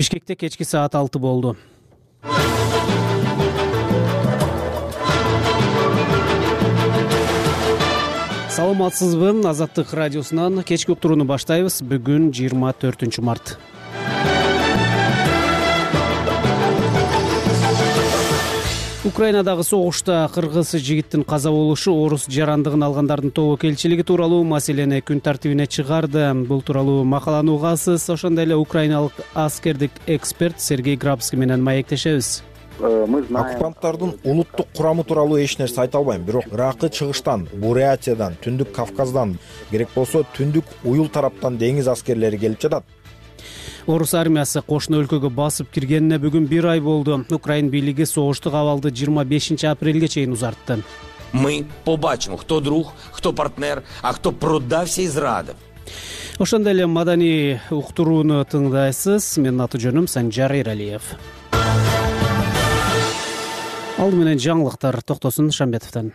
Бишкекте кечки саат 6 болду. Саламатсызбы? Азаттык радиосунан кечки уктурууну баштайбыз. Бүгүн 24 март. Украинадагы согушта кыргыз жигиттин каза болушу орус жарандыгын алгандардын тобокелчилиги тууралуу маселени күн тартибине чыгарды. Бул тууралуу макаланы угасыз. Ошондой эле украиналык аскердик эксперт Сергей Грабский менен маектешебиз. Оккупанттардын улуттук курамы тууралуу эч нерсе айта албайм, бирок Иракы чыгыштан, Бурятиядан, Түндүк Кавказдан, керек болсо Түндүк Уюл тараптан деңиз аскерлери келип жатат. Орус армиясы кошуна өлкөгө басып киргенине бүгүн 1 ай болду. Украин бийлиги согуштук абалды 25 апрелге чейин узартты. Мы побачимо, кто друг, кто партнер, а кто продався и зрадив. Ошондой эле маданий уктурууну тыңдайсыз. Менин аты жөнүм Санжар Эралиев. Алды менен жаңылыктар Токтосун Шамбетовдон.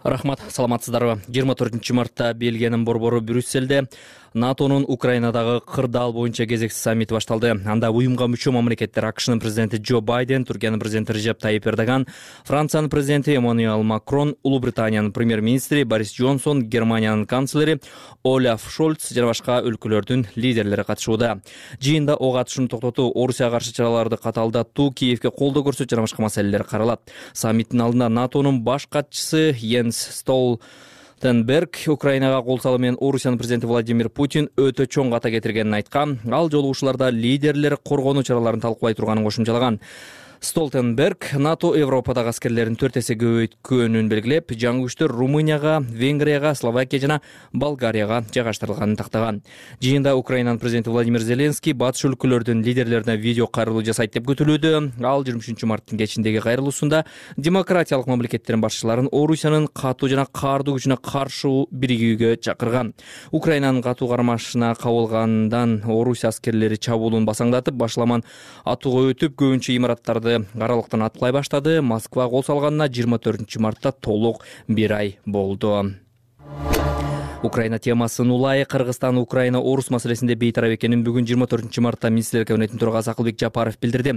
Рахмат, саламатсыздарбы? 24 мартта Бельгиянын борбору Брюсселде НАТОнун Украинадагы кырдаал боюнча кезектүү саммити башталды. Анда уюмга мүчө мамлекеттер АКШнын президенти Джо Байден, Түркиянын президенти Режеп Тайип Эрдоган, Франциянын президенти Эммануэл Макрон, Улуу Британиянын премьер-министри Борис Джонсон, Германиянын канцлери Оляф Шольц жана башка өлкөлөрдүн лидерлери катышууда. Жыйында ок атышууну токтотуу, Орусияга каршы чараларды катаалдатуу, Киевге колдоо көрсөтүү жана башка маселелер каралат. Саммиттин алдында НАТОнун баш катчысы Йенс Столтенберг Украинага кол салуу менен Орусиянын президенти Владимир Путин өтө чоң ката кетиргенин айткан. Ал жолугушууларда лидерлер коргонуу чараларын талкуулай турганын кошумчалаган. Столтенберг НАТО Европадагы аскерлерин 4 эсе көбөйткөнүн белгилеп, жаңы күчтөр Румынияга, Венгрияга, Словакия жана Болгарияга жайгаштырылганын тактаган. Жыйында Украинанын президенти Владимир Зеленский батыш өлкөлөрдүн лидерлерине видео кайрылуу жасайт деп күтүлүүдө. Ал 23 марттын кечиндеги кайрылуусунда демократиялык мамлекеттердин башчыларын Орусиянын катуу жана каардуу күчүнө каршы биригүүгө чакырган. Украинанын катуу кармашына кабылгандан Орусия аскерлери чабуулун басаңдатып, башламан атууга өтүп, көбүнчө имараттарды аралыктан аткылай баштады. Москва кол салганына 24 мартта толук 1 ай болду. Украина темасын улай Кыргызстан Украина орус маселесинде бейтарап экенин бүгүн 24 мартта министрлер кабинетинин төрагасы Акылбек Жапаров билдирди.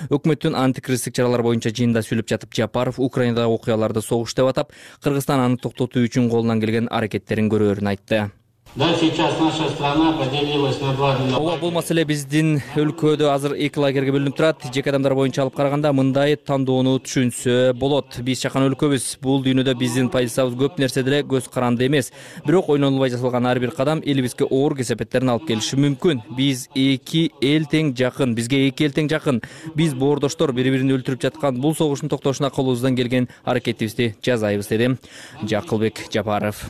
Өкмөттүн антикризистик чаралар боюнча жыйында сүйлөп жатып, Жапаров Украинадагы окуяларды согуш деп атап, Кыргызстан аны токтотуу үчүн колунан келген аракеттерин көрөөрүн айтты. Да, сейчас наша страна поделилась на два. Ооба, бул маселе биздин өлкөдө азыр эки лагерге бөлүнүп турат. Жеке адамдар боюнча алып караганда мындай тандоону түшүнсө болот. Биз чакан өлкөбүз. Бул дүйнөдө биздин позициябыз көп нерседе эле көз каранды эмес. Бирок ойнолбой жасалган ар бир кадам элибизге оор кесепеттерин алып келиши мүмкүн. Биз эки эл тең жакын. Бизге эки эл тең жакын. Биз боордоштор бири-бирин өлтүрүп жаткан бул согуштун токтошуна колубуздан келген аракетибизди жасайбыз, деди Акылбек Жапаров.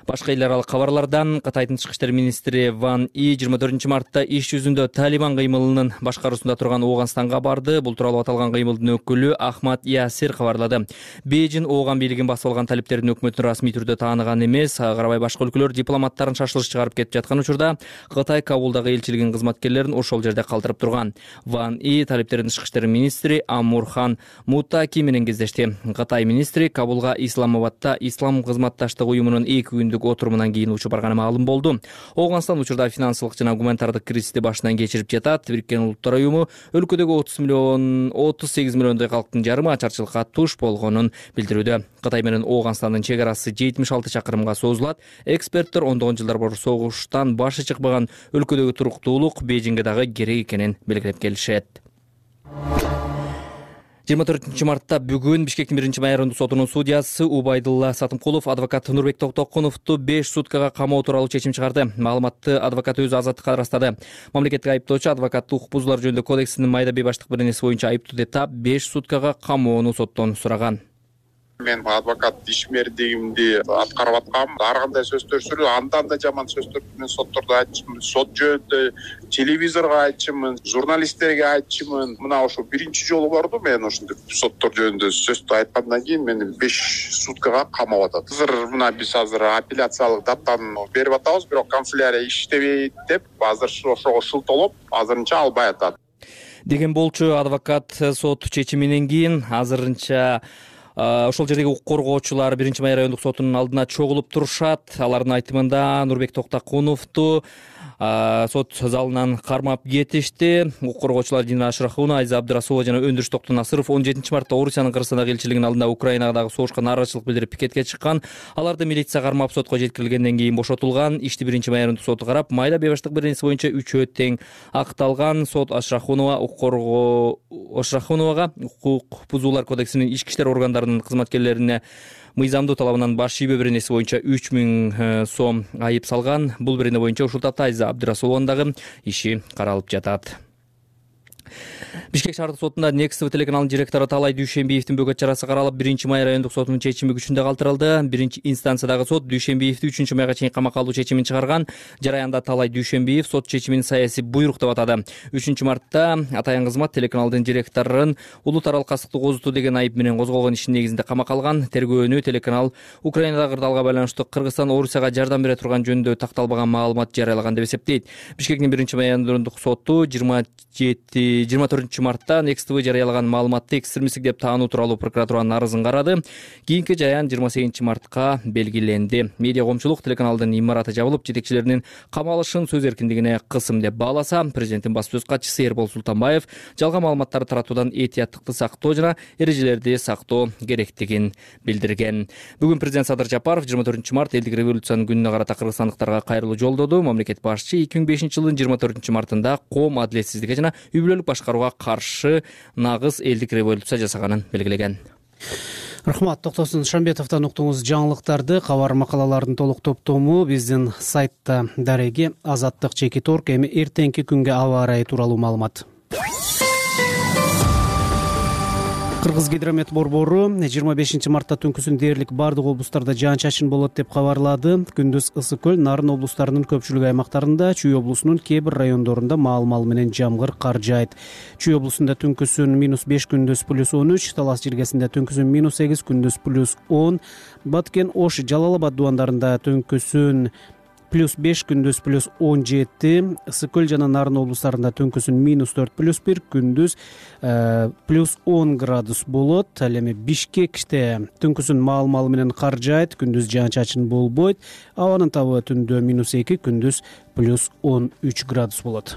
Башка эл аралык кабарлардан Кытайдын тышкы иштер министри Ван И 24 мартта иш жүзүндө Талибан кыймылынын башкаруусунда турган Ооганстанга барды. Бул тууралуу аталган кыймылдын өкүлү Ахмад Ясир кабарлады. Бейжин Ооган бийлигин басып алган талиптердин өкмөтүн расмий түрдө тааныган эмес. Карабай башка өлкөлөр дипломаттарын шашылыш чыгарып кетип жаткан учурда Кытай Кабулдагы элчилигинин кызматкерлерин ошол жерде калтырып турган. Ван И талиптердин тышкы иштер министри Амурхан Мутаки менен кездешти. Кытай министри Кабулга Исламабадда Ислам кызматташтык уюмунун 2 күндүк отурумунан кийин учуп барганы маалым болду. Оогунстан учурда финансылык жана гуманитардык кризисти башынан кечирип жатат. Бириккен Улуттар уюму өлкөдөгү 38 миллиондой калктын жарымы ачарчылыкка туш болгонун билдирүүдө. Кытай менен Оогунстандын чек арасы 76 чакырымга созулат. Эксперттер ондогон жылдар бою согуштан башы чыкпаган өлкөдөгү туруктуулук Бейжиңге дагы керек экенин белгилеп келишет. 24 мартта бүгүн Бишкектин 1-май райондук сотунун судьясы Убайдулла Сатымкулов адвокат Нурбек Токтокуновду 5 суткага камоо тууралуу чечим чыгарды. Маалыматты адвокат өзү азаттыкка ырастады. Мамлекеттик айыптоочу адвокаттык укук бузуулар жөнүндө кодексинин майда бейбаштык беренеси боюнча айыптуу деп таап 5 суткага камоону соттон сураган. Мен адвокат ишмердигимди аткарып аткам. Ар кандай сөздөр сүрүп, анда жаман сөздөр менен соттордо айтчымын. Сот жөнүндө телевизорго айтчымын, журналисттерге айтчымын. Мына ошо биринчи жолу барду мен ошондой соттор жөнүндө сөздү айткандан кийин мени 5 суткага камап атат. Биз апелляциялык даттаны берип атабыз, бирок канцелярия иштебейт деп азыр ошого шылтоолоп, азырынча албай атат. Деген болчу адвокат сот чечиминен кийин азырынча ошол жердеги укук коргоочулар 1-май райондук сотунун алдына чогулуп турушат. Алардын айтымында Нурбек Токтокуновду сот залынан кармап кетишти. Укук коргоочулар Дина Ашрахунова, Айза Абдырасулова жана Өндүрүш Токтонасыров 17 мартта Орусиянын Кыргызстандагы элчилигинин алдында Украинадагы согушка нааразычылык билдирип пикетке чыккан. Аларды милиция кармап сотко жеткирилгенден кийин бошотулган. Ишти 1-майрындык соту карап, майда бебаштык беренеси боюнча 3-өө тең акталган. Сот Ашрахуновага укук бузуулар кодексинин ички иштер органдарынын кызматкерлерине мыйзамдуу талабынан баш шийбөө беренеси боюнча 3000 сом айып салган. Бул берене боюнча ушул тапта Айза Абдырасулованын дагы иши каралып жатат. Бишкек шаардык сотунда Next телеканалынын директору Талай Дүйшенбиевдин бөгөт чарасы каралып, 1-май райондук сотунун чечими күчүндө калтырылды. Биринчи инстанциядагы сот Дүйшенбиевди 3-майга чейин камакка алуу чечимин чыгарган. Жараянда Талай Дүйшенбиев сот чечимин саясий буйрук деп атады. 3-мартта Атайын кызмат телеканалдын директорун улут аралык кастыктык озутуу деген айып менен козголгон ишин негизинде камакка алган. Тергөөнү телеканал Украинадагы кырдаалга байланыштуу Кыргызстан Орусияга жардам бере турган жөнүндө такталбаган маалымат жарыялаган деп эсептейт. Бишкектин 1-май райондук соту 24-мартта Next жарыялаган маалыматты экстремисттик деп таануу тууралуу прокуратуранын арызын карады. Кийинки жаyan 28-мартка белгиленди. Медиа коомчулук телеканалдын имараты жабылып, жетекчилеринин камалышын сөз эркиндигине кысым деп бааласа, президенттин баспасөз катчысы Эрбол Султанбаев жалган маалыматтарды таратуудан этияттыкты сактоо жана эрежелерди сактоо керектигин билдирген. Бүгүн президент Садыр Жапаров 24-март элдик революциянын күнүнө карата кыргызстандыктарга кайрылуу жолдоду. Мамлекет башчы 2005-жылдын 24-мартында коом адилетсиздикке жана үй бүлөлүк башкарууга каршы нагыз элдик революция жасаганын белгилеген. Рахмат, Токтосун Шамбетовдон уктуңуз жаңылыктарды. Кабар макалалардын толук топтому биздин сайтта дареги. Азаттык Чекиторг. Эми эртеңки күнгө аба ырайы тууралуу маалымат. Кыргыз гидромет борбору 25-мартта түнкүсүн дээрлик бардык облустарда жаан-чачын болот деп кабарлады. Күндүз Ысык көл, Нарын облустарынын көпчүлүк аймактарында, Чүй облусунун кээ бир райондорунда маал-мал менен жамгыр кар жаайт. Чүй облусунда түнкүсүн -5, күндүз +13, Талас жергесинде түнкүсүн -8, күндүз +10, Баткен, Ош, Жалал Абад дубандарында түнкүсүн +5, күндүз +17, Ысык көл жана Нарын облустарында түнкүсүн -4, +1, күндүз +10 градус болот. Ал эми Бишкекте түнкүсүн маал-мал менен кар жаайт, күндүз жаан-чачын болбойт. Абанын табы түндө -2, күндүз +13 градус болот.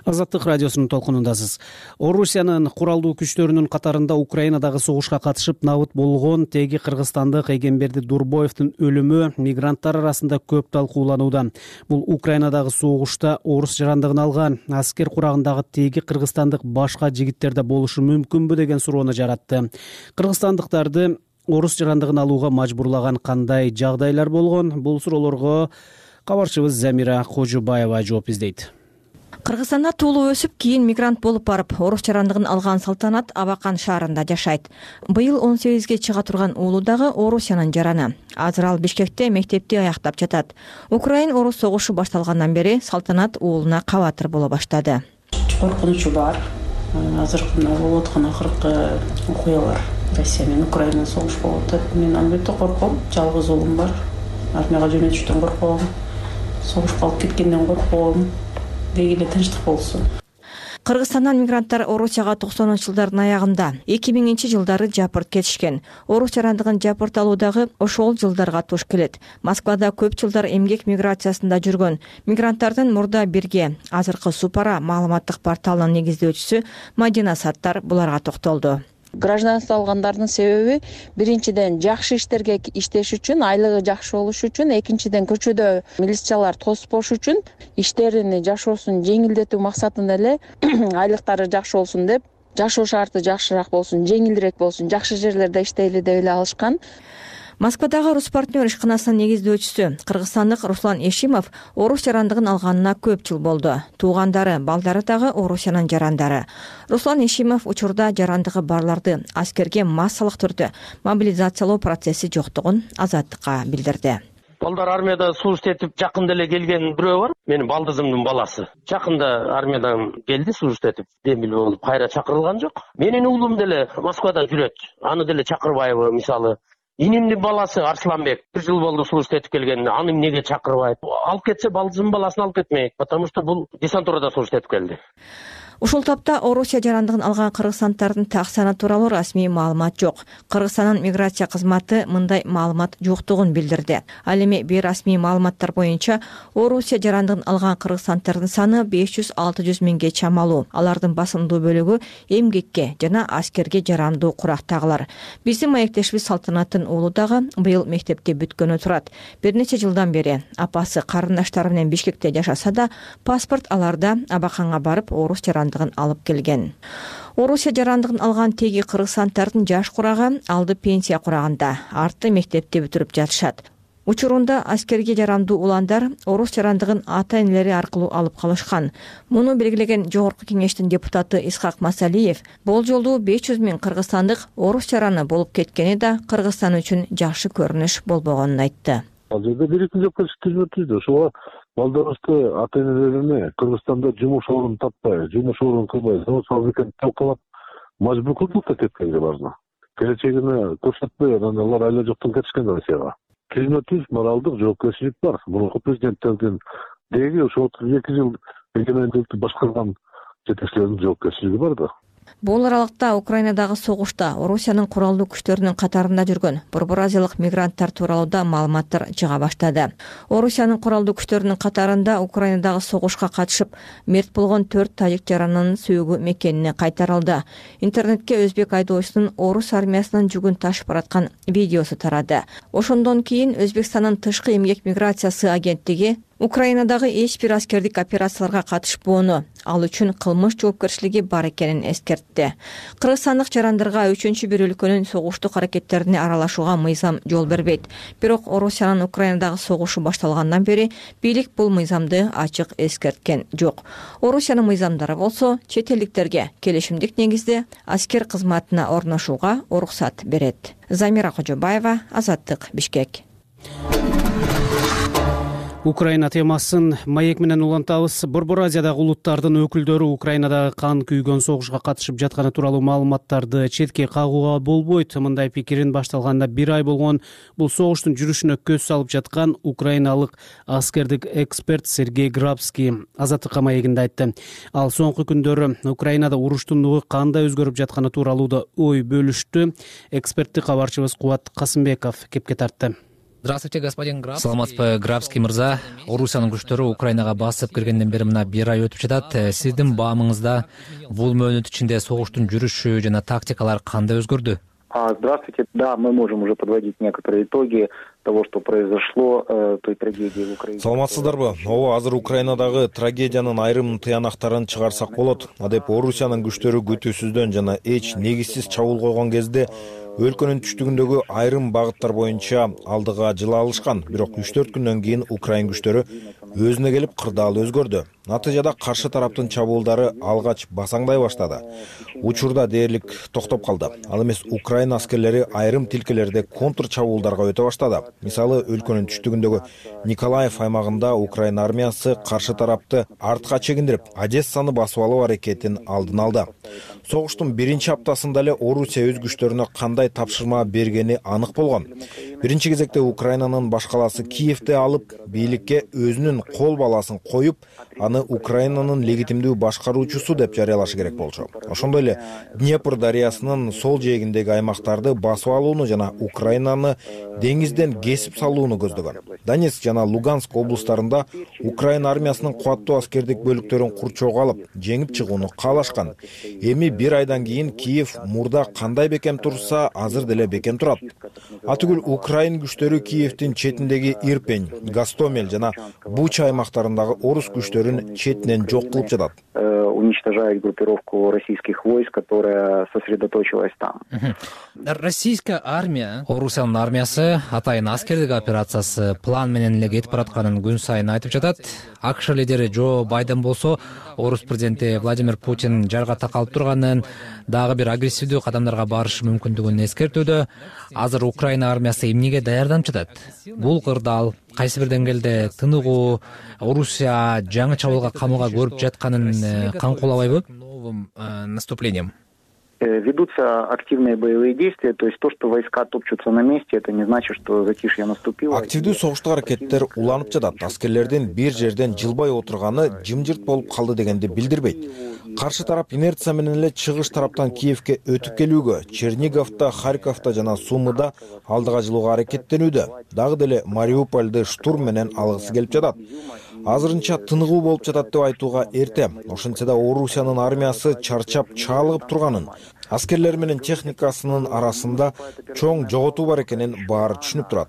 Азаттык радиосунун толкунундасыз. Орусиянын куралдуу күчтөрүнүн катарында Украинадагы согушка катышып набыт болгон теги кыргызстандык Эгемберди Дурбоевдин өлүмү мигранттар арасында көп талкууланууда. Бул Украинадагы согушта орус жарандыгын алган аскер курагындагы теги кыргызстандык башка жигиттерде болушу мүмкүнбү деген суроону жаратты. Кыргызстандыктарды орус жарандыгын алууга мажбурлаган кандай жагдайлар болгон? Бул суроолорго кабарчыбыз Замира Кожубаева жооп издейт. Кыргызстанда туулуп өсүп, кийин мигрант болуп барып, орус жарандыгын алган Салтанат Абакан шаарында жашайт. Быйыл 18ге чыга турган уулу дагы Орусиянын жараны. Азыр ал Бишкекте мектепти аяктап жатат. Украин-орус согушу башталгандан бери Салтанат уулуна кабатыр боло баштады. Коркунучу бар. Азыркы болуп аткан акыркы окуялар Россия менен Украина согуш болуп атат. Мен албетте корком. Жалгыз уулум бар. Армияга жөнөтүштөн корком. Согушка алып кеткенден корком. Дегеле тынчтык болсун. Кыргызстандан мигранттар Орусияга 90-жылдардын аягында 2000-жылдары жапырт кетишкен. Орус жарандыгын жапырт алуудагы ошол жылдарга туш келет. Москвада көп жылдар эмгек миграциясында жүргөн мигранттардын мурда бирге азыркы Супара маалыматтык порталынын негиздөөчүсү Мадина Саттар буларга токтолду. Гражданство алгандардын себеби биринчиден жакшы иштерге иштеш үчүн, айлыгы жакшы болуш үчүн, экинчиден көчөдө милициялар тоспош үчүн, иштерин жашоосун жеңилдетүү максатында эле айлыктары жакшы болсун деп, жашоо шарты жакшыраак болсун, жеңилирээк болсун, жакшы жерлерде иштейли деп эле алышкан. Москвадагы Руспартнер ишканасынын негиздөөчүсү кыргызстандык Руслан Эшимов орус жарандыгын алганына көп жыл болду. Туугандары, балдары дагы Орусиянын жарандары. Руслан Эшимов учурда жарандыгы барларды аскерге массалык түрдө мобилизациялоо процесси жоктугун Азаттыкка билдирди. Балдар армияда служба этип жакында эле келген бирөө бар. Менин балдызымдын баласы. Жакында армиядан келди служба этип, демил болуп кайра чакырылган жок. Менин уулум деле Москвада жүрөт. Аны деле чакырбайбы, мисалы. Инимдин баласы Арсланбек 1 жыл болду служба этип келгенине, аны эмнеге чакырбайт? Алып кетсе балдызымдын баласын алып кетмейт, потому что бул десантурада служба этип келди. Ушул тапта Орусия жарандыгын алган кыргызстандардын так саны тууралуу расмий маалымат жок. Кыргызстандын миграция кызматы мындай маалымат жоктугун билдирди. Ал эми бейрасмий маалыматтар боюнча Орусия жарандыгын алган кыргызстандардын саны 500-600 миңге чамалуу. Алардын басымдуу бөлүгү эмгекке жана аскерге жарандуу курактагылар. Биздин маектешибиз Салтанаттын уулу дагы быйыл мектепти бүткөнү турат. Бир нече жылдан бери апасы карындаштары менен Бишкекте жашаса да, паспорт аларда абаканга барып орус жарандыгын алып келген. Орусия жарандыгын алган теги кыргызстандардын жаш курагы алды пенсия курагында, арты мектепти бүтүрүп жатышат. Учурунда аскерге жарандуу уландар орус жарандыгын ата-энелери аркылуу алып калышкан. Муну белгилеген Жогорку кеңештин депутаты Исхак Масалиев бул жолу 500 миң кыргызстандык орус жараны болуп кеткени да Кыргызстан үчүн жакшы көрүнүш болбогонун айтты. Ал жерде бир-эки жок түздү. Ошого балдарыбызды ата-энелерине Кыргызстанда жумуш орун таппай, жумуш орун кылбай, завод фабриканы талкалап мажбур кылдык да кеткенге баарына. Келечегине көрсөтпөй анан алар айла жоктон кетишкен Россияга. Климаттык моралдык жоопкерчилик бар. Мурунку президенттердин деги ошол 2 жыл эгемендикти башкарган жетекчилердин жоопкерчилиги бар да. Бул аралыкта Украинадагы согушта Орусиянын куралдуу күчтөрүнүн катарында жүргөн Борбор Азиялык мигранттар тууралуу да маалыматтар чыга баштады. Орусиянын куралдуу күчтөрүнүн катарында Украинадагы согушка катышып мерт болгон 4 тажик жаранынын сүйүгү мекенине кайтарылды. Интернетке өзбек айдоочусунун орус армиясынын жүгүн ташып бараткан видеосу тарады. Ошондон кийин Өзбекстандын тышкы эмгек миграциясы агенттиги Украинадагы эч бир аскердик операцияларга катышпоону, ал үчүн кылмыш жоопкерчилиги бар экенин эскертти. Кыргызстандык жарандарга үчүнчү бир өлкөнүн согуштук аракеттерине аралашууга мыйзам жол бербейт. Бирок Орусиянын Украинадагы согушу башталгандан бери бийлик бул мыйзамды ачык эскерткен жок. Орусиянын мыйзамдары болсо чет элдиктерге келишимдик негизде аскер кызматына орношууга уруксат берет. Замира Кожобаева, Азаттык, Бишкек. Украина темасын маек менен улантабыз. Борбор Азиядагы улуттардын өкүлдөрү Украинадагы кан күйгөн согушка катышып жатканы тууралуу маалыматтарды четке кагууга болбойт. Мындай пикирин башталганына 1 ай болгон бул согуштун жүрүшүнө көз салып жаткан украиналык аскердик эксперт Сергей Грабский Азаттыкка маегинде айтты. Ал соңку күндөрү Украинада уруштун нугу кандай өзгөрүп жатканы тууралуу да ой бөлүштү. Экспертти кабарчыбыз Кубат Касымбеков кепке тартты. Здравствуйте, господин Грабский. Саламатсызбы, Грабский мырза. Орусиянын күчтөрү Украинага басып киргенден бери мына 1 ай өтүп жатат. Сиздин баамыңызда бул мөөнөт ичинде согуштун жүрүшү жана тактикалар кандай өзгөрдү? Здравствуйте. Да, мы можем уже подводить некоторые итоги того, что произошло, той трагедии в Украине. Саламатсыздарбы? Ооба, азыр Украинадагы трагедиянын айрым тыянактарын чыгарсак болот. Адеп Орусиянын күчтөрү күтүүсүздөн жана эч негизсиз чабуул койгон кезде өлкөнүн түштүгүндөгү айрым багыттар боюнча алдыга жыла алышкан. Бирок 3-4 күндөн кийин Украин күчтөрү өзүнө келип кырдаал өзгөрдү. Натыйжада каршы тараптын чабуулдары алгач басаңдай баштады. Учурда дээрлик токтоп калды. Ал эмес Украин аскерлери айрым тилкелерде контр чабуулдарга өтө баштады. Мисалы, өлкөнүн түштүгүндөгү Николаев аймагында Украин армиясы каршы тарапты артка чегиндирип, Одессаны басып алуу аракетин алдын алды. Согуштун 1-чи аптасында эле Орусия өз күчтөрүнө кандай тапшырма бергени анык болгон. Биринчи кезекте Украинанын баш калаасы Киевди алып, бийликке өзүнүн кол баласын коюп, аны Украинанын легитимдүү башкаруучусу деп жарыялашы керек болчу. Ошондой эле Днепр дарыясынын сол жээгиндеги аймактарды басып алууну жана Украинаны деңизден кесип салууну көздөгөн. Донецк жана Луганск облустарында Украин армиясынын кубаттуу аскердик бөлүктөрүн курчоого алып, жеңип чыгууну каалашкан. Эми 1 айдан кийин Киев мурда кандай бекем турса, азыр деле бекем турат. Атүгүл Украин күчтөрү Киевдин четиндеги Ирпень, Гостомель жана Буча аймактарындагы орус күчтөрүн четинен жок кылып жатат. Уничтожает группировку российских войск, которая сосредоточилась там. Российская армия, Орусиянын армиясы атайын аскердик операциясы план менен эле кетип баратканын күн сайын айтып жатат. АКШ лидери Джо Байден болсо, орус президенти Владимир Путин жарга такалып турганын, дагы бир агрессивдүү кадамдарга барышы мүмкүндүгүн эскертүүдө. Азыр Украина армиясы эмнеге даярданып жатат? Бул кырдаал кайсы бир деңгээлде тыныгуу, Орусия жаңы чабуулга камылга көрүп жатканын камкуулабайбы? Новым наступлением. Ведутся активные боевые действия, то есть то, что войска топчутся на месте, это не значит, что затишье наступило. Активдүү согуштук аракеттер уланып жатат. Аскерлердин бир жерден жылбай отурганы жымжырт болуп калды дегенди билдирбейт. Каршы тарап инерция менен эле чыгыш тараптан Киевке өтүп келүүгө, Черниговдо, Харьковдо жана Сумыда алдыга жылууга аракеттенүүдө. Дагы деле Мариупольду штурм менен алгысы келип жатат. Азырынча тыныгуу болуп жатат деп айтууга эрте. Ошентсе да Орусиянын армиясы чарчап чаалыгып турганын, аскерлер менен техникасынын арасында чоң жоготуу бар экенин баары түшүнүп турат.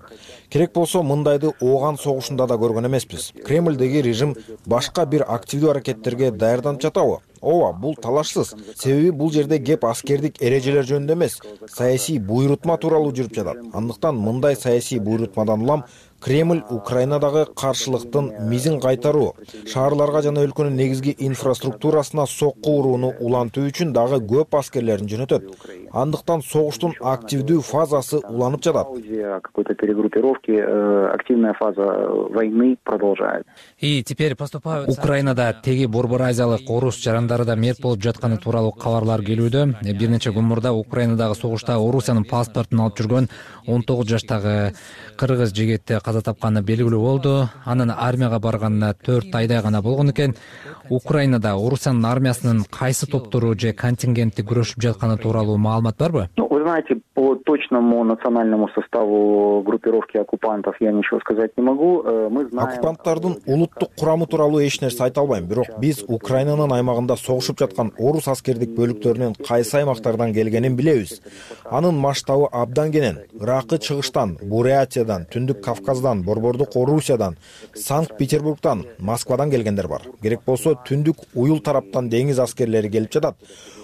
Керек болсо мындайды ооган согушунда да көргөн эмеспиз. Кремлдеги режим башка бир активдүү аракеттерге даярданып жатабы? Ооба, бул талашсыз. Себеби бул жерде кеп аскердик эрежелер жөнүндө эмес, саясий буйрутма тууралуу жүрүп жатат. Андыктан мындай саясий буйрутмадан улам Кремль Украинадагы каршылыктын мизин кайтаруу, шаарларга жана өлкөнүн негизги инфраструктурасына сокку урууну улантуу үчүн дагы көп аскерлерин жөнөтөт. Андыктан согуштун активдүү фазасы уланып жатат. Какой-то перегруппировки, активная фаза войны продолжает. И теперь поступают. Украинада теги Борбор Азиялык орус жарандары да мерт болуп жатканы тууралуу кабарлар келүүдө. Бир нече күн мурда Украинадагы согушта Орусиянын паспортун алып жүргөн 19 жаштагы кыргыз жигити каза тапканы белгилүү болду. Анын армияга барганына 4 айдай гана болгон экен. Украинада Орусиянын армиясынын кайсы топтору же контингенти күрөшүп жатканы тууралуу маалымат барбы? Вы знаете, по точному национальному составу группировки оккупантов я ничего сказать не могу. Мы знаем... Оккупанттардын улуттук курамы тууралуу эч нерсе айта албайм. Бирок биз Украинанын аймагында согушуп жаткан орус аскердик бөлүктөрүнүн кайсы аймактардан келгенин билебиз. Анын масштабы абдан кенен. Иракы чыгыштан, Бурятиядан, Түндүк Кавказдан, Борбордук Орусиядан, Санкт-Петербургдан, Москвадан келгендер бар. Керек болсо Түндүк Уюл тараптан деңиз аскерлери келип жатат.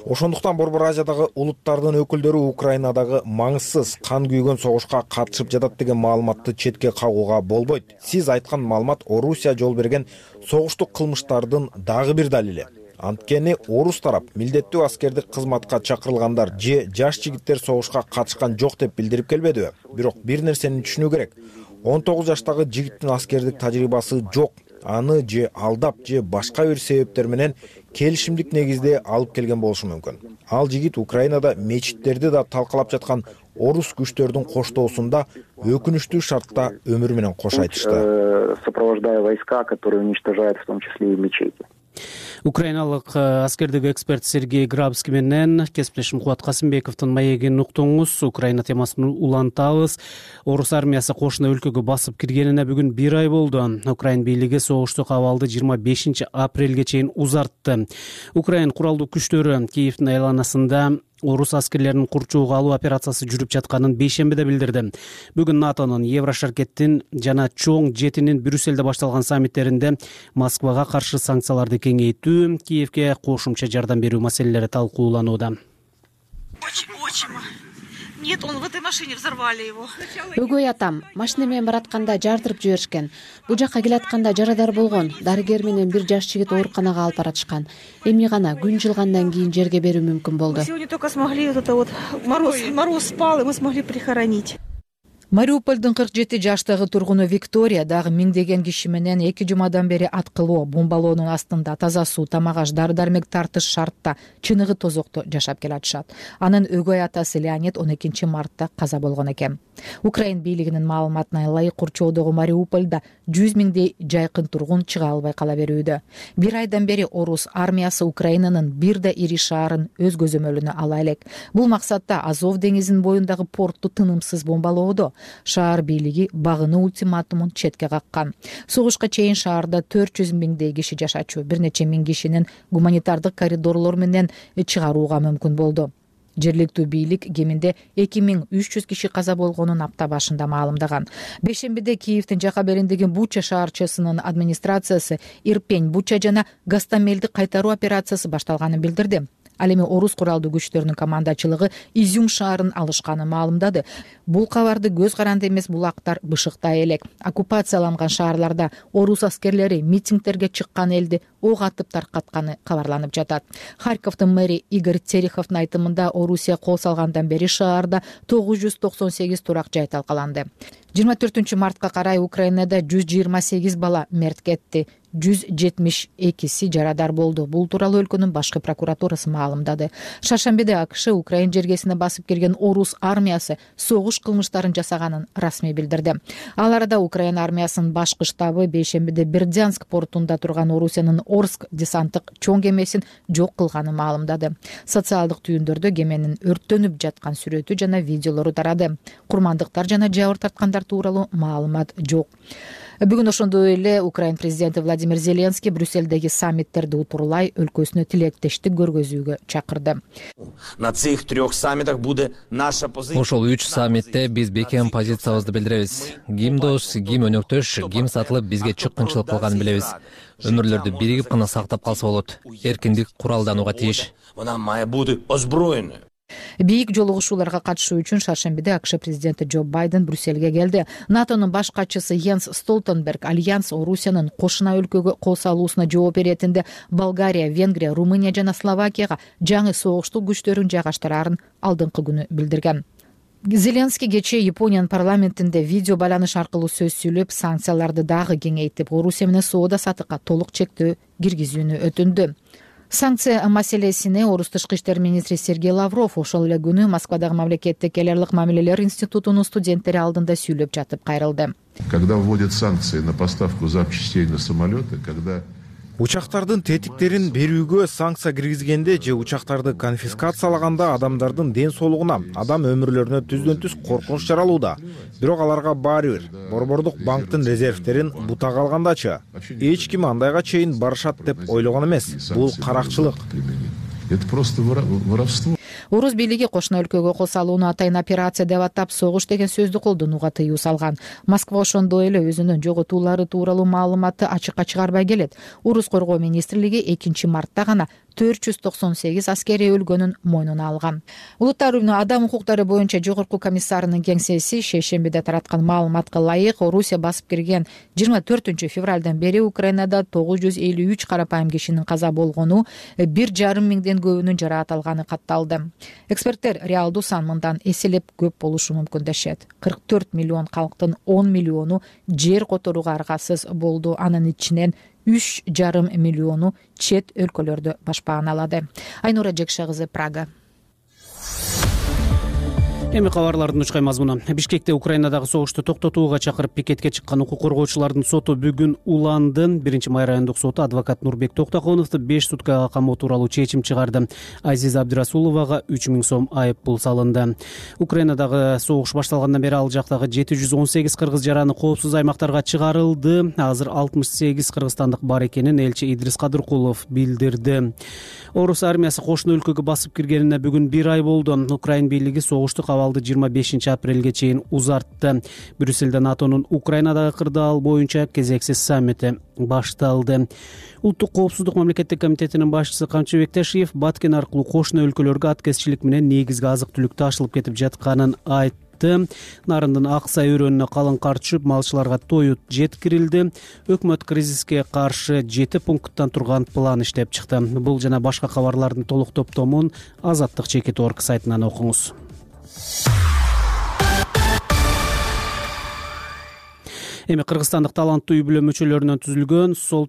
Ошондуктан Борбор Азиядагы улуттардын өкүлдөрү Украинадагы маңызсыз кан күйгөн согушка катышып жатат деген маалыматты четке кагууга болбойт. Сиз айткан маалымат Орусия жол берген согуштук кылмыштардын дагы бир далили. Анткени орус тарап милдеттүү аскердик кызматка чакырылгандар же жаш жигиттер согушка катышкан жок деп билдирип келбедиби? Бирок бир нерсени түшүнүү керек. 19 жаштагы жигиттин аскердик тажрыйбасы жок. Аны же алдап же башка бир себептер менен келишимдик негизде алып келген болушу мүмкүн. Ал жигит Украинада мечиттерди да талкалап жаткан орус күчтөрдүн коштоосунда өкүнүчтүү шартта өмүрү менен кош айтышты. Сопровождая войска, которые уничтожают в том числе и мечети. Украиналык аскердик эксперт Сергей Грабский менен кесиптешим Кубат Касымбековдун маегин уктуңуз. Украина темасын улантабыз. Орус армиясы кошуна өлкөгө басып киргенине бүгүн 1 ай болду. Украин бийлиги согуштук абалды 25 апрелге чейин узартты. Украин куралдуу күчтөрү Киевдин айланасында орус аскерлерин курчууга алуу операциясы жүрүп жатканын бейшембиде билдирди. Бүгүн НАТОнун Еврошаркеттин жана чоң жетинин Брюсселде башталган саммиттеринде Москвага каршы санкцияларды кеңейтүү, Киевге кошумча жардам берүү маселелери талкууланууда. Нет, он в этой машине, взорвали его. Өгөй атам машина менен баратканда жардырып жиберишкен. Бул жакка келатканда жарадар болгон. Дарыгер менен бир жаш жигит ооруканага алып баратышкан. Эми гана күн жылгандан кийин жерге берүү мүмкүн болду. Сегодня только смогли мороз спал, и мы смогли прихоронить. Мариупольдун 47 жаштагы тургуну Виктория дагы миңдеген киши менен 2 жумадан бери аткылоо, бомбалоонун астында таза суу, тамак-аш, дары-дармек тартыш шартта, чыныгы тозокто жашап келатышат. Анын өгөй атасы Леонид 12 мартта каза болгон экен. Украин бийлигинин маалыматына ылайык курчоодогу Мариупольда 100 миңдей жайкын тургун чыга албай кала берүүдө. 1 айдан бери орус армиясы Украинанын бир да ири шаарын өз көзөмөлүнө ала элек. Бул максатта Азов деңизинин боюндагы портту тынымсыз бомбалоодо. Шаар бийлиги багынуу ультиматумун четке каккан. Согушка чейин шаарда 400 миңдей киши жашачу, бир нече миң кишинин гуманитардык коридорлор менен чыгарууга мүмкүн болду. Жергиликтүү бийлик кеминде 2300 киши каза болгонун апта башында маалымдаган. Бейшембиде Киевдин жака бериндеги Буча шаарчасынын администрациясы Ирпень, Буча жана Гастамелди кайтаруу операциясы башталганын билдирди. Ал эми орус куралдуу күчтөрүнүн командачылыгы Изюм шаарын алышканын маалымдады. Бул кабарды көз каранды эмес булактар бышыктай элек. Оккупацияланган шаарларда орус аскерлери митингдерге чыккан элди ок атып таркатканы кабарланып жатат. Харьковдун мэри Игорь Тереховдун айтымында Орусия кол салгандан бери шаарда 998 турак жай талкаланды. 24 мартка карай Украинада 128 бала мерт кетти. 172 жарадар болду. Бул тууралуу өлкөнүн башкы прокуратурасы маалымдады. Шаршембиде АКШ Украин жергесине басып кирген орус армиясы согуш кылмыштарын жасаганын расмий билдирди. Ал арада Украин армиясынын башкы штабы бейшембиде Бердянск портунда турган Орусиянын Орск десанттык чоң кемесин жок кылганын маалымдады. Социалдык түйүндөрдө кеменин өрттөнүп жаткан сүрөтү жана видеолору тарады. Курмандыктар жана жабыр тарткандар тууралуу маалымат жок. Бүгүн ошондой эле Украин президенти Владимир Зеленский Брюссельдеги саммиттерди утурлай өлкөсүнө тилектештик көргөзүүгө чакырды. На цих 3 саммитах буде наша позиция. Ошол 3 саммитте биз бекем позициябызды билдиребиз. Ким дос, ким өнөктөш, ким сатылып бизге чыккынчылык кылганын билебиз. Өмүрлөрдү биригип гана сактап калса болот. Эркиндик куралданууга тийиш. Вона має бути озброєною. Бийик жолугушууларга катышуу үчүн шаршембиде АКШ президенти Джо Байден Брюссельге келди. НАТОнун баш катчысы Йенс Столтенберг Альянс Орусиянын кошуна өлкөгө кол салуусуна жооп беретинде Болгария, Венгрия, Румыния жана Словакияга жаңы согуштук күчтөрүн жайгаштырарын алдыңкы күнү билдирген. Зеленский кечээ Япониянын парламентинде видео байланыш аркылуу сөз сүйлөп, санкцияларды дагы кеңейтип, Орусия менен соода сатыкка толук чектөө киргизүүнү өтүндү. Санкция маселесине орус тышкы иштер министри Сергей Лавров ошол эле күнү Москвадагы мамлекеттик эл аралык мамилелер институтунун студенттери алдында сүйлөп жатып кайрылды. Когда вводят санкции на поставку запчастей на самолеты, когда Учактардын тетиктерин берүүгө санкция киргизгенде же учактарды конфискациялаганда адамдардын ден соолугуна, адам өмүрлөрүнө түздөн түз коркунуч жаралууда. Бирок аларга баары бир борбордук банктын резервтерин бутага алгандачы эч ким андайга чейин барышат деп ойлогон эмес. Бул каракчылык. Это просто воровство. Орус бийлиги кошуна өлкөгө кол салууну атайын операция деп атап, согуш деген сөздү колдонууга тыюу салган. Москва ошондой эле өзүнүн жоготуулары тууралуу маалыматты ачыкка чыгарбай келет. Орус коргоо министрлиги 2 мартта гана 498 аскери өлгөнүн мойнуна алган. Улуттар уюмунун адам укуктары боюнча жогорку комиссарынын кеңсеси шейшембиде тараткан маалыматка ылайык, Орусия басып кирген 24 февралдан бери Украинада 953 карапайым кишинин каза болгону, 1,5 миңден көбүнүн жараат алганы катталды. Эксперттер реалдуу сан мындан эселеп көп болушу мүмкүн дешет. 44 миллион калктын 10 миллиону жер которууга аргасыз болду. Анын ичинен 3,5 миллиону чет өлкөлөрдө башпаан алады. Айнура Жекша кызы, Прага. Эми кабарлардын учкай мазмуну. Бишкекте Украинадагы согушту токтотууга чакырып пикетке чыккан укук коргоочулардын соту бүгүн уланды. 1-май райондук соту адвокат Нурбек Токтоконовду 5 суткага камоо тууралуу чечим чыгарды. Азиза Абдырасуловага 3000 сом айып пул салынды. Украинадагы согуш башталгандан бери ал жактагы 718 кыргыз жараны коопсуз аймактарга чыгарылды. Азыр 68 кыргызстандык бар экенин элчи Идрис Кадыркулов билдирди. Орус армиясы кошуна өлкөгө басып киргенине бүгүн 1 ай болду. Украин бийлиги согуштук абалды 25 апрелге чейин узартты. Брюссельде НАТОнун Украинадагы кырдаал боюнча кезексиз саммити башталды. Улуттук коопсуздук мамлекеттик комитетинин башчысы Камчыбек Тешиев Баткен аркылуу кошуна өлкөлөргө аткезчилик менен негизги азык-түлүк ташылып кетип жатканын айтты. Нарындын Аксай өрөөнүнө калың кар түшүп, малчыларга тоют жеткирилди. Өкмөт кризиске каршы 7 пункттан турган план иштеп чыкты. Бул жана башка кабарлардын толук топтомун Азаттык Чекит.org сайтынан окуңуз. Эми кыргызстандык таланттуу үй бүлө мүчөлөрүнөн түзүлгөн Сол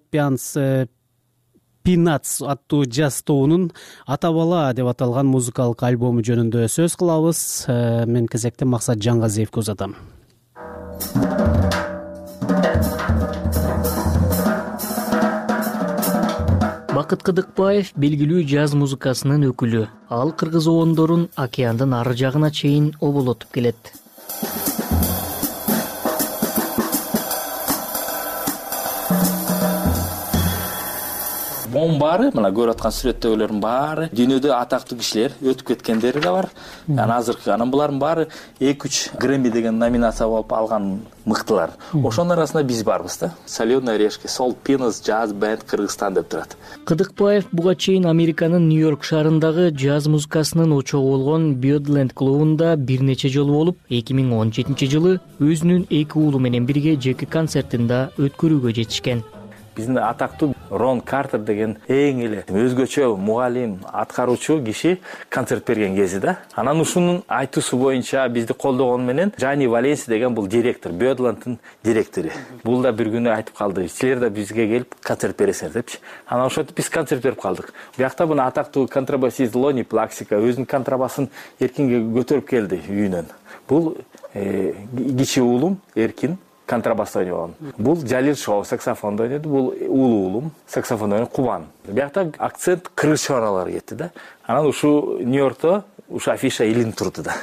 Пинац аттуу жаз тобунун Ата бала деп аталган музыкалык альбому жөнүндө сөз кылабыз. Мен кезекте Максат Жаңгазиевге узатам. Бакыт Кыдыкбаев белгилүү жаз музыкасынын өкүлү. Ал кыргыз оондорун океандын ары жагына чейин оболотуп келет. Монун баары, мына көрүп аткан сүрөттөгүлөрдүн баары дүйнөдө атактуу кишилер, өтүп кеткендери да бар. Азыркы анан булардын баары 2-3 Грэмми деген номинация алып алган мыктылар. Ошонун арасында биз барбыз да. Соленые орешки, Сол Пинац Jazz Band Кыргызстан деп турат. Кыдыкбаев буга чейин Американын Нью-Йорк шаарындагы жаз музыкасынын очогу болгон Birdland клубунда бир нече жолу болуп, 2017 жылы өзүнүн 2 уулу менен бирге жеке концертин да өткөрүүгө жетишкен. биздин атактуу Рон Картер деген эң эле өзгөчө мугалим, аткаруучу киши концерт берген кези да. Анан ушунун айтуусу боюнча бизди колдогону менен Джани Валенси деген бул директор, Бёдланддын директору. Бул да бир күнү айтып калды, силер да бизге келип концерт бересиңер депчи. Анан ошентип биз концерт берип калдык. Биякта мына атактуу контрабасист Лони Плаксика өзүнүн контрабасын Эркинге көтөрүп келди үйүнөн. Бул кичи уулум Эркин контрабаста ойногон. Бул Жалил Шоу саксофондо ойнойт, бул улуу уулум саксофондо ойнойт, Кубан. Биякта акцент кыргыз чыгаралары кетти да. Анан ушу Нью-Йоркто ушу афиша илинип турду да.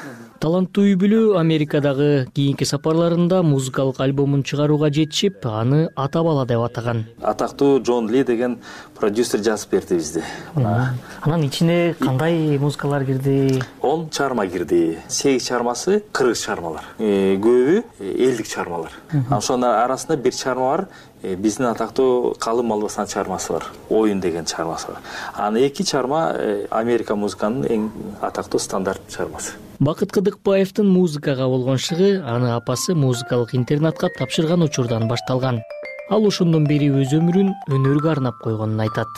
Таланттуу үй бүлө Америкадагы кийинки сапарларында музыкалык альбомун чыгарууга жетишип, аны ата бала деп атаган. Атактуу Джон Ли деген продюсер жазып берди бизди. Анан ичине кандай музыкалар кирди? 10 чыгарма кирди. 8 чыгармасы кыргыз чыгармалар. Көбү элдик чыгармалар. Ошонун арасында бир чыгарма бар, биздин атактуу Калым Албасан чыгармасы бар. Оюн деген чыгармасы бар. Анан 2 чыгарма Америка музыканын эң атактуу стандарт чыгармасы. Бакыт Кыдыкбаевдин музыкага болгон шыгы аны апасы музыкалык интернатка тапшырган учурдан башталган. Ал ошондон бери өз өмүрүн өнөргө арнап койгонун айтат.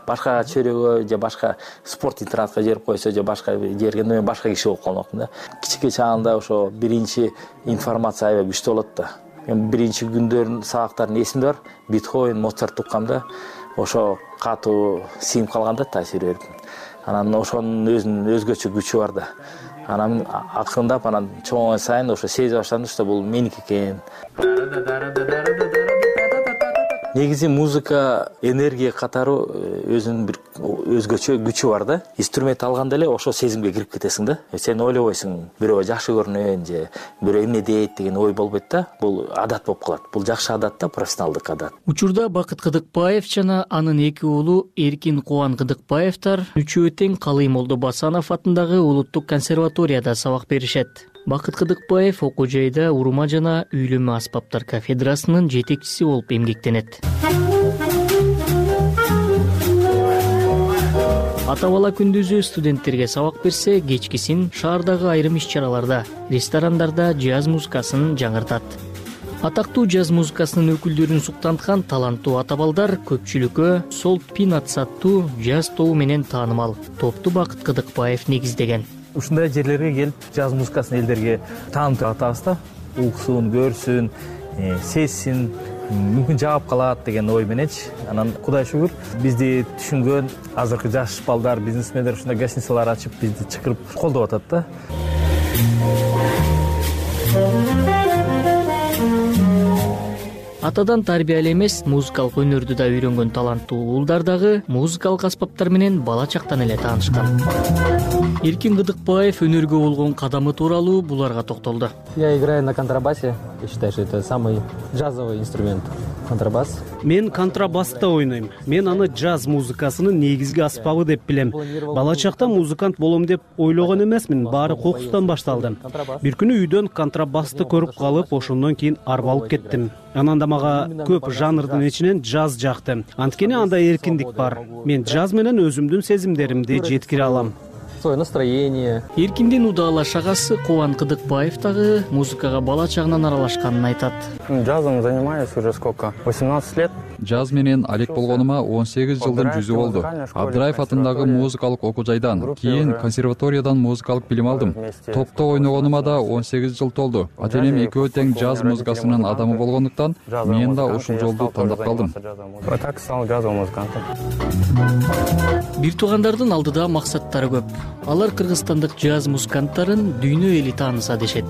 Башка чөрөгө же башка спорт интернатка жиберип койсо же башка жерге мен башка киши болуп калмакмын да. Кичике чагында ошо биринчи информация аябай күчтүү болот да. Мен биринчи күндөрүн сабактарын эсимде бар. Бетховен, Моцарт укканда ошо катуу сиңип калганда таасир берип. Анан ошонун өзүнүн өзгөчө күчү бар да. Анан акырындап анан чоңойгон сайын ошо сезе баштадым, что бул меники экен. Негизи музыка энергия катары өзүнүн бир өзгөчө күчү бар да. Инструмент алганда эле ошо сезимге кирип кетесиң да. Сен ойлобойсуң, бирөө жакшы көрүнөйүн же бирөө эмне дейт деген ой болбойт да. Бул адат болуп калат. Бул жакшы адат да, профессионалдык адат. Учурда Бакыт Кыдыкбаев жана анын 2 уулу Эркин Кубан Кыдыкбаевтар үчөө тең Калый Молдобасанов атындагы Улуттук консерваторияда сабак беришет. Бакыт Кыдыкбаев окуу жайда урма жана үйлөмө аспаптар кафедрасынын жетекчиси болуп эмгектенет. Ата бала күндүзү студенттерге сабак берсе, кечкисин шаардагы айрым иш-чараларда, ресторандарда джаз музыкасын жаңыртат. Атактуу джаз музыкасынын өкүлдөрүн суктанткан таланттуу ата балдар көпчүлүккө Сол Пинатс аттуу джаз тобу менен таанымал. Топту Бакыт Кыдыкбаев негиздеген. Ушундай жерлерге келип джаз музыкасын элдерге таанытып атабыз да. Уксун, көрсүн, сезсин, мүмкүн жаап калат деген ой мененчи. Анан Кудай шүгүр, бизди түшүнгөн азыркы жаш балдар, бизнесмендер ушундай гостиницалар ачып бизди чакырып колдоп атат да. Атадан тарбиялы эмес, музыкалык өнөрдү да үйрөнгөн таланттуу уулдар дагы музыкалык аспаптар менен бала чактан эле таанышкан. Эркин Кыдыкбаев өнөргө болгон кадамы тууралуу буларга токтолду. Я играю на контрабасе. Я считаю, что это самый джазовый инструмент. Контрабас. Мен контрабаста ойнойм. Мен аны джаз музыкасынын негизги аспабы деп билем. Бала чакта музыкант болом деп ойлогон эмесмин, баары кокустан башталды. Бир күнү үйдөн контрабасты көрүп калып, ошондон кийин арбалып кеттим. Анан да мага көп жанрдын ичинен джаз жакты. Анткени анда эркиндик бар. Мен джаз менен өзүмдүн сезимдеримди жеткире алам. Свое настроение. Эркиндин удалаш агасы Кубан Кыдыкбаев дагы музыкага бала чагынан аралашканын айтат. Джазом занимаюсь уже сколько? 18 лет. Джаз менен алек болгонума 18 жылдын жүзү болду. Абдыраев атындагы музыкалык окуу жайдан, кийин консерваториядан музыкалык билим алдым. Топто ойногонума да 18 жыл толду. Ата-энем экөө тең джаз музыкасынын адамы болгондуктан мен да ушул жолду тандап калдым. Так стал джазовым музыкантом. Бир туугандардын алдыда максаттары көп. Алар кыргызстандык джаз музыканттарын дүйнө эли тааныса дешет.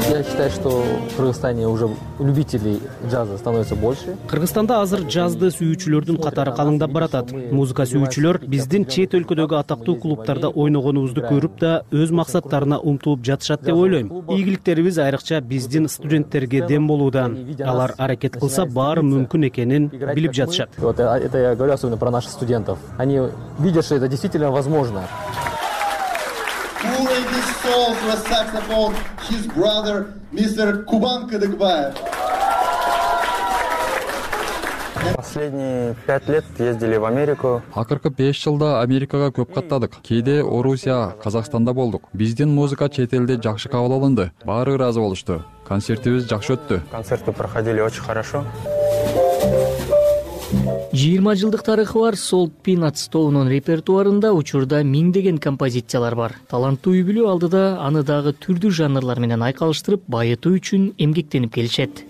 Я считаю, что в Кыргызстане уже любителей джаза становится больше. Кыргызстанда азыр джазды сүйүүчүлөрдүн катары калыңдап баратат. Музыка сүйүүчүлөр биздин чет өлкөдөгү атактуу клубтарда ойногонубузду көрүп да өз максаттарына умтулуп жатышат деп ойлойм. Ийгиликтерибиз айрыкча биздин студенттерге дем болууда. Алар аракет кылса баары мүмкүн экенин билип жатышат. Вот это я говорю особенно про наших студентов. Они видят, что это действительно возможно. Pulling this song to a saxophone, his brother, Mr. Кубан Кыдыкбаев. Последние 5 лет ездили в Америку. Акыркы 5 жылда Америкага көп каттадык. Кээде Орусия, Казакстанда болдук. Биздин музыка чет элде жакшы кабыл алынды. Баары ыраазы болушту. Концертибиз жакшы өттү. Концерты проходили очень хорошо. 20 жылдык тарыхы бар Salt Peanuts тобунун репертуарында учурда миңдеген композициялар бар. Таланттуу үй-бүлө алдыда аны дагы түрдүү жанрлар менен айкалыштырып, байытуу үчүн эмгектенип келишет.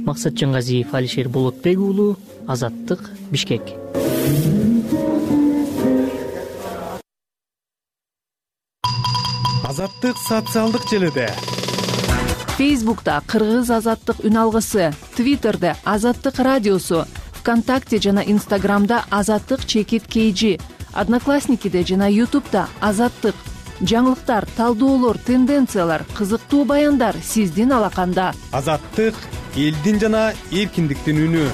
Максат Жаңгазиев, Алишер Болотбек уулу, Азаттык, Бишкек. Азаттык социалдык желиде. Фейсбукта Кыргыз Азаттык үн алгысы, Твиттерде Азаттык радиосу, ВКонтакте жана Инстаграмда Азаттык _KG, Одноклассникиде жана Ютубда Азаттык. Жаңылыктар, талдоолор, тенденциялар, кызыктуу баяндар сиздин алаканда. Азаттык — элдин жана эркиндиктин үнү.